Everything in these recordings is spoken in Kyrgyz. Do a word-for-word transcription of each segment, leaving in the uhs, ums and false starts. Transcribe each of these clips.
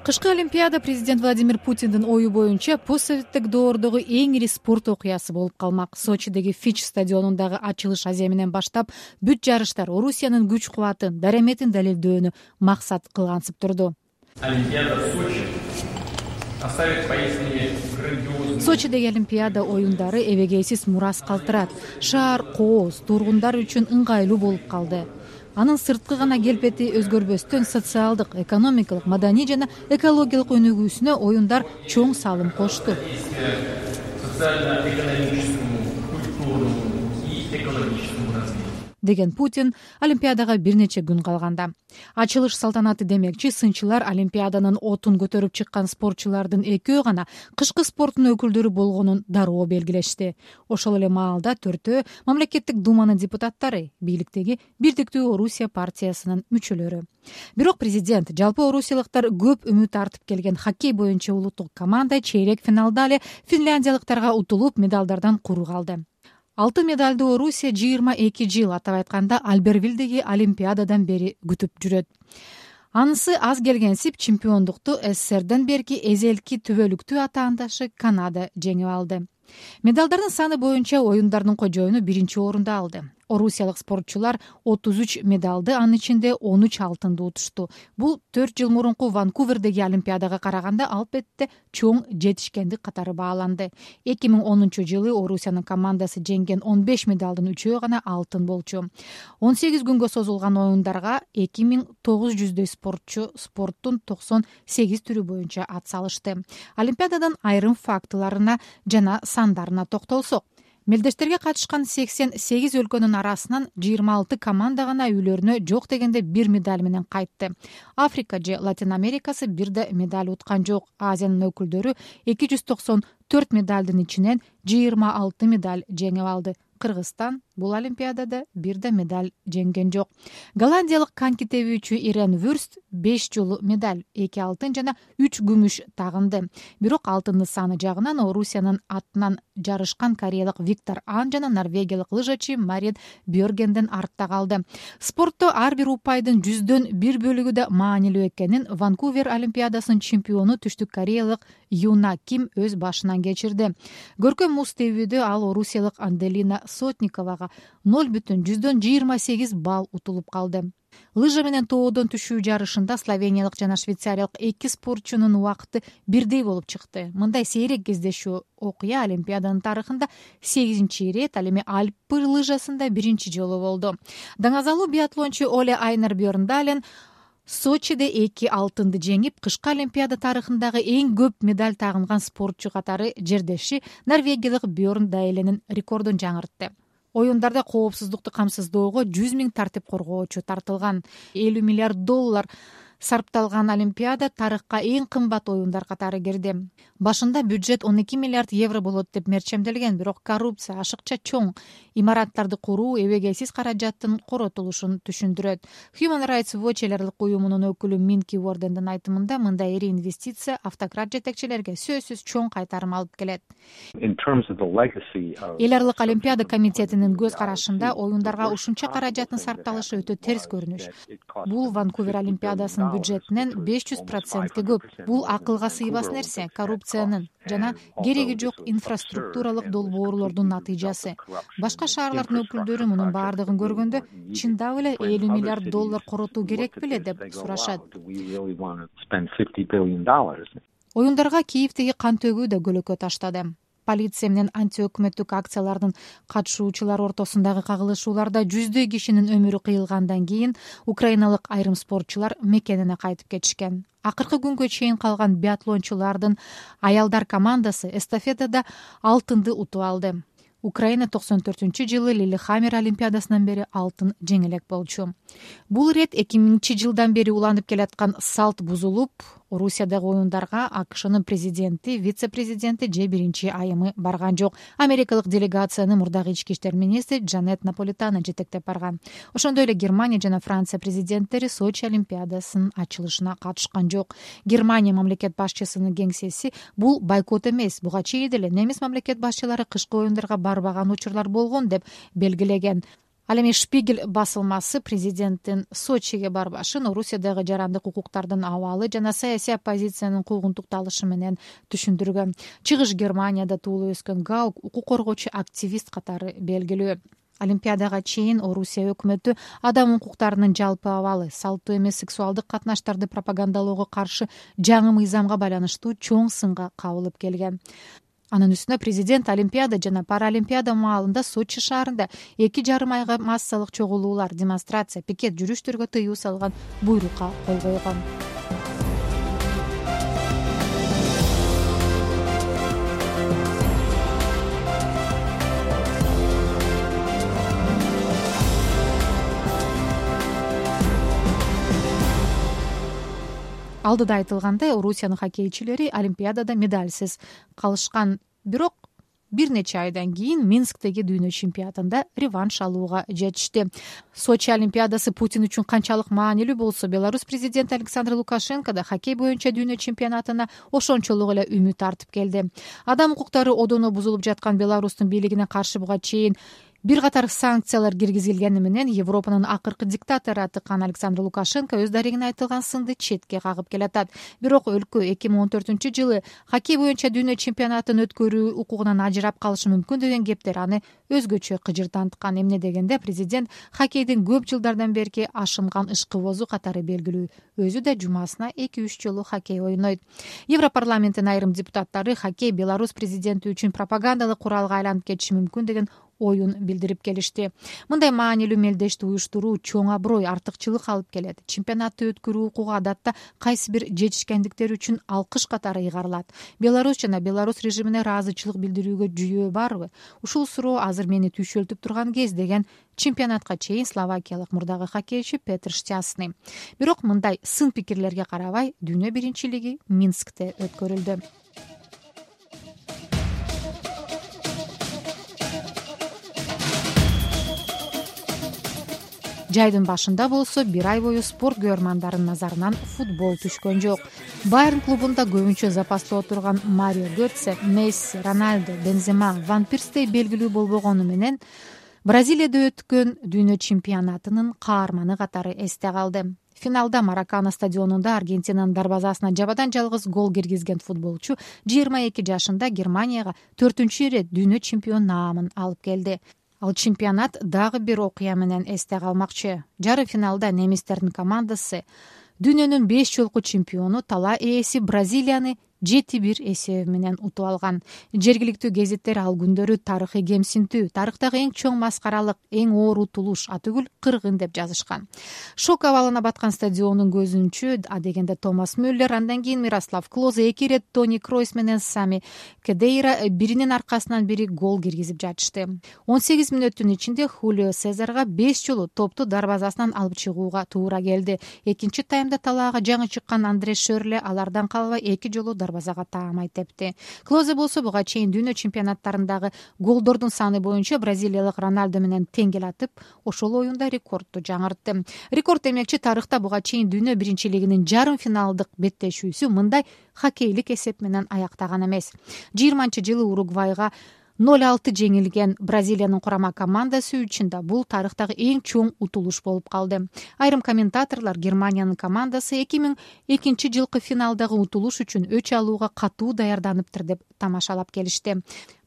Кышкы Олимпиада президент Владимир Путиндин ою боюнча постсоветтик доордогу эң ири спорт окуясы болуп калмак. Сочидеги Фич стадионундагы ачылыш аземинен баштап бүт жарыштар Орусиянын күч кубатын, дараметин далилдөөнү максат кылгансып турду. Олимпиада в Сочи оставит поистине грандиозный. Сочидеги Олимпиада оюндары эбегейсиз мурас калтырат. Шаар кооз, тургундар үчүн ыңгайлуу болуп калды. Анын сырткы гана келбети өзгөрбөстөн социалдык, экономикалык, маданий жана экологиялык өнүгүүсүнө оюндар чоң салым кошту. Социально-экономическому, культурному и экологическому развитию. Деген Путин Олимпиадага бир нече күн калганда. Ачылыш салтанаты демекчи сынчылар Олимпиаданын отун көтөрүп чыккан спортчулардын экөө гана кышкы спорттун өкүлдөрү болгонун дароо белгилешти. Ошол эле маалда төртөө мамлекеттик думанын депутаттары, бийликтеги Бирдиктүү Орусия партиясынын мүчөлөрү. Бирок президент жалпы орусиялыктар көп үмүт артып келген хоккей боюнча улуттук команда чейрек финалда эле финляндиялыктарга утулуп медалдардан куру калды. Алтын медалды Орусия жыйырма эки жыл, атап айтканда Альбервилдеги Олимпиададан бери күтүп жүрөт. Анысы аз келгенсип чемпиондукту СССРден берки эзелки түбөлүктүү атаандашы Канада жеңип алды. Медалдардын саны боюнча оюндардын кожоюну биринчи орунду алды. Орусиялык спортчулар отуз үч медалды, анын ичинде он үч алтынды утушту. Бул төрт жыл мурунку Ванкувердеги Олимпиадага караганда албетте чоң жетишкендик катары бааланды. эки миң онунчу жылы Орусиянын командасы жеңген он беш медалдын үчөө гана алтын болчу. он сегиз күнгө созулган оюндарга эки миң тогуз жүздөй спортчу спорттун токсон сегиз түрү боюнча ат салышты. Олимпиададан айрым фактыларына жана сандарына токтолсок, мелдештерге катышкан сексен сегиз өлкөнүн арасынан жыйырма алты команда гана үйлөрүнө жок дегенде бир медаль менен кайтты. Африка же Латин Америкасы бир да медаль уткан жок. Азиянын өкүлдөрү эки жүз токсон төрт медалдын ичинен жыйырма алты медаль жеңип алды. Кыргызстан бул Олимпиадада бир да медаль жеңген жок. Голландиялык коньки тебүүчү Ирен Вюрст беш жолу медаль, эки алтын жана үч күмүш тагынды. Бирок алтындын саны жагынан Орусиянын атынан жарышкан кореялык Виктор Ан жана норвегиялык лыжачы Марин Бьоргенден артта калды. Спортто ар бир упайдын жүздөн бир бөлүгү да маанилүү экенин Ванкувер Олимпиадасынын чемпиону түштүк кореялык Юна Ким өз башынан кечирди. Көркөм муз тебүүдө ал орусиялык Анделина Сотниковага ноль бүтүн жүздөн жыйырма сегиз балл утулуп калды. Лыжа менен тоодон түшүү жарышында словениялык жана швейцариялык эки спортчунун убакыты бирдей болуп чыкты. Мындай сейрек кездешүү окуя Олимпиаданын тарыхында сегизинчи ирет, ал эми Альпы лыжасында биринчи жолу болду. Даңазалуу биатлончу Оле Айнер Бьорндален Сочиде эки алтынды жеңип, кышкы Олимпиада тарыхындагы эң көп медаль тагынган спортчу катары жердеши норвегиялык Бьорн Дайленин рекордун жаңыртты. Оюндарда коопсуздукту камсыздоого жүз миң тартип коргоочу тартылган. элүү миллиард доллар сарпталган Олимпиада тарыхка эң кымбат оюндар катары кирди. Башында бюджет он эки миллиард евро болот деп мерчемделген, бирок коррупция, ашыкча чоң имараттарды куруу эбегейсиз каражаттын коротулушун түшүндүрөт. Human Rights Watch эл аралык уюмунун өкүлү Минки Уордендин айтымында мындай ири инвестиция автократ жетекчилерге сөзсүз чоң кайтарым алып келет. Эл аралык Олимпиада комитетинин көз карашында оюндарга ушунча каражаттын сарпталышы өтө терс көрүнүш. Бул Ванкувер Олимпиадасынын бюджетинен беш жүз процентке көп. Бул акылга сыйбас нерсе, коррупциянын жана кереги жок инфраструктуралык долбоорлордун натыйжасы. Башка шаарлардын өкүлдөрү мунун баардыгын көргөндө чындап эле элүү миллиард доллар коротуу керек беле деп сурашат. Оюндарга Киевдеги кан төгүү да көлөкө таштады. Полиция менен антиөкмөттүк акциялардын катышуучулары ортосундагы кагылышууларда жүздөй кишинин өмүрү кыйылгандан кийин украиналык айрым спортчулар мекенине кайтып кетишкен. Акыркы күнгө чейин калган биатлончулардын аялдар командасы эстафетада алтынды утуп алды. Украина токсон төртүнчү жылы Лилихаммер Олимпиадасынан бери алтын жеңелек болчу. Бул ирет эки миңинчи жылдан бери уланып келаткан салт бузулуп, Орусиядагы оюндарга АКШнын президенти, вице-президенти же биринчи айымы барган жок. Америкалык делегацияны мурдагы ички иштер министри Джанет Наполитано жетектеп барган. Ошондой эле Германия жана Франция президенттери Сочи Олимпиадасынын ачылышына катышкан жок. Германия мамлекет башчысынын кеңсеси бул бойкот эмес, буга чейин эле немис мамлекет башчылары кышкы оюндарга барбаган учурлар болгон деп белгилеген. Ал эми Шпигель басылмасы президенттин Сочиге барбашын Орусиядагы жарандык укуктардын абалы жана саясий оппозициянын куугунтукталышы менен түшүндүргөн. Чыгыш Германияда туулуп өскөн Гаук укук коргоочу активист катары белгилүү. Олимпиадага чейин Орусия өкмөтү адам укуктарынын жалпы абалы, салттуу эмес сексуалдык катнаштарды пропагандалоого каршы жаңы мыйзамга байланыштуу чоң сынга кабылып келген. Анын үстүнө президент Олимпиада жана Паралимпиада маалында Сочи шаарында эки жарым айга массалык чогулуулар, демонстрация, пикет жүрүштөргө тыюу салган буйрукка кол койгон. Алдыда айтылгандай, Орусиянын хоккейчилери Олимпиадада медальсиз калышкан, бирок бир нече айдан кийин Минсктеги дүйнө чемпионатында реванш алууга жетишти. Сочи Олимпиадасы Путин үчүн канчалык маанилүү болсо, Беларусь президенти Александр Лукашенко да хоккей боюнча дүйнө чемпионатына ошончолук эле үмүт артып келди. Адам укуктары одоно бузулуп жаткан Беларустун бийлигине каршы буга чейин бир катар санкциялар киргизилгени менен Европанын акыркы диктатору атыкан Александр Лукашенко өз дарегине айтылган сынды четке кагып келатат. Бирок өлкө эки миң он төртүнчү жылы хоккей боюнча дүйнө чемпионатын өткөрүү укугунан ажырап калышы мүмкүн деген кептер аны өзгөчө кыжыртанткан. Эмне дегенде президент хоккейдин көп жылдардан берки ашынган ышкыбозу катары белгилүү. Өзү да жумасына эки үч жолу хоккей ойнойт. Европарламенттин айрым депутаттары хоккей Беларусь президенти үчүн пропагандалык куралга айланып кетиши мүмкүн деген оюн билдирип келишти. Мындай маанилүү мелдешти уюштуруу чоң аброй, артыкчылык алып келет. Чемпионатты өткөрүү укугу адатта кайсы бир жетишкендиктер үчүн алкыш катары ыйгарылат. Беларусь жана Беларусь режимине ыраазычылык билдирүүгө жүйөө барбы? Ушул суроо азыр мени түйшөлтүп турган кез, деген чемпионатка чейин словакиялык мурдагы хоккейчи Петр Штясный. Бирок мындай сын пикирлерге карабай, дүйнө биринчилиги Минскте өткөрүлдү. Жайдын башында болсо бир ай бою спорт көрөрмандарынын назарынан футбол түшкөн жок. Байерн клубунда көбүнчө запаста отурган Марио Götze, Месси, Роналдо, Бензема, Ван Перстей белгилүү болбогону менен Бразилияда өткөн дүйнө чемпионатынын каарманы катары эсте калды. Финалда Маракана стадионунда Аргентинанын дарбазасына жабадан жалгыз гол киргизген футболчу жыйырма эки жашында Германияга төртүнчү ирет дүйнө чемпион наамын алып келди. Ал чемпионат дагы бир окуя менен эсте калмакчы. Жарым финалда немистердин командасы дүйнөнүн беш жолку чемпиону талаа ээси Бразилияны жети бир эсеби менен утуп алган. Жергиликтүү гезиттер ал күндөрү тарыхый кемсинтүү, тарыхтагы эң чоң маскаралык, эң оор утулуш, атүгүл кыргын деп жазышкан. Шок абалына баткан стадиондун көзүнчү адегенде Томас Мюллер, андан кийин Мирослав Клозе, эки ирет Тони Кройс менен Сами Кедейра биринин аркасынан бири гол киргизип жатышты. он сегиз мүнөттүн ичинде Хулио Сезарга беш жолу топту дарбазасынан алып чыгууга туура келди. Экинчи таймда талаага жаңы чыккан Андре Шөрле алардан калбай эки жолу дарбазага таамай тепти. Клозе болсо буга чейин дүйнө чемпионаттарындагы голдордун саны боюнча бразилиялык Роналдо менен тең келатып, ошол оюнда рекордду жаңыртты. Рекорд демекчи, тарыхта буга чейин дүйнө биринчилигинин жарым финалдык беттешүүсү мындай хоккейлик эсеп менен аяктаган эмес. жыйырманчы жылы Уругвайга ноль алты жеңилген Бразилиянын курама командасы үчүн да бул тарыхтагы эң чоң утулуш болуп калды. Айрым комментаторлор Германиянын командасы эки миң экинчи жылкы финалдагы утулуш үчүн өч алууга катуу даярданыптыр деп тамашалап келишти.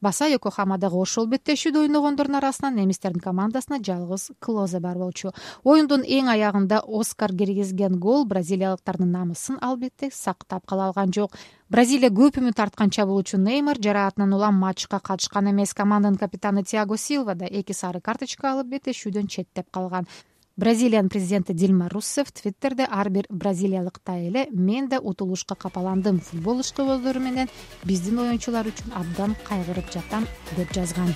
Баса Йокохамадагы ошол беттешүүдө ойногондордун арасынан немистердин командасына жалгыз Клозе бар болчу. Оюндун эң аягында Оскар киргизген гол бразилиялыктардын намысын албетте сактап кала алган жок. Бразилия көп үмүт арткан чабуулчу Неймар жараатынан улам матчка катышкан эмес. Команданын капитаны Тиаго Силва да эки сары карточка алып беттешүүдөн четтеп калган. Бразилиянын президенти Дилма Руссеф Твиттерде ар бир бразилиялыктай эле мен да утулушка капаландым, футбол ышкыбоздору менен биздин оюнчулар үчүн абдан кайгырып жатам деп жазган.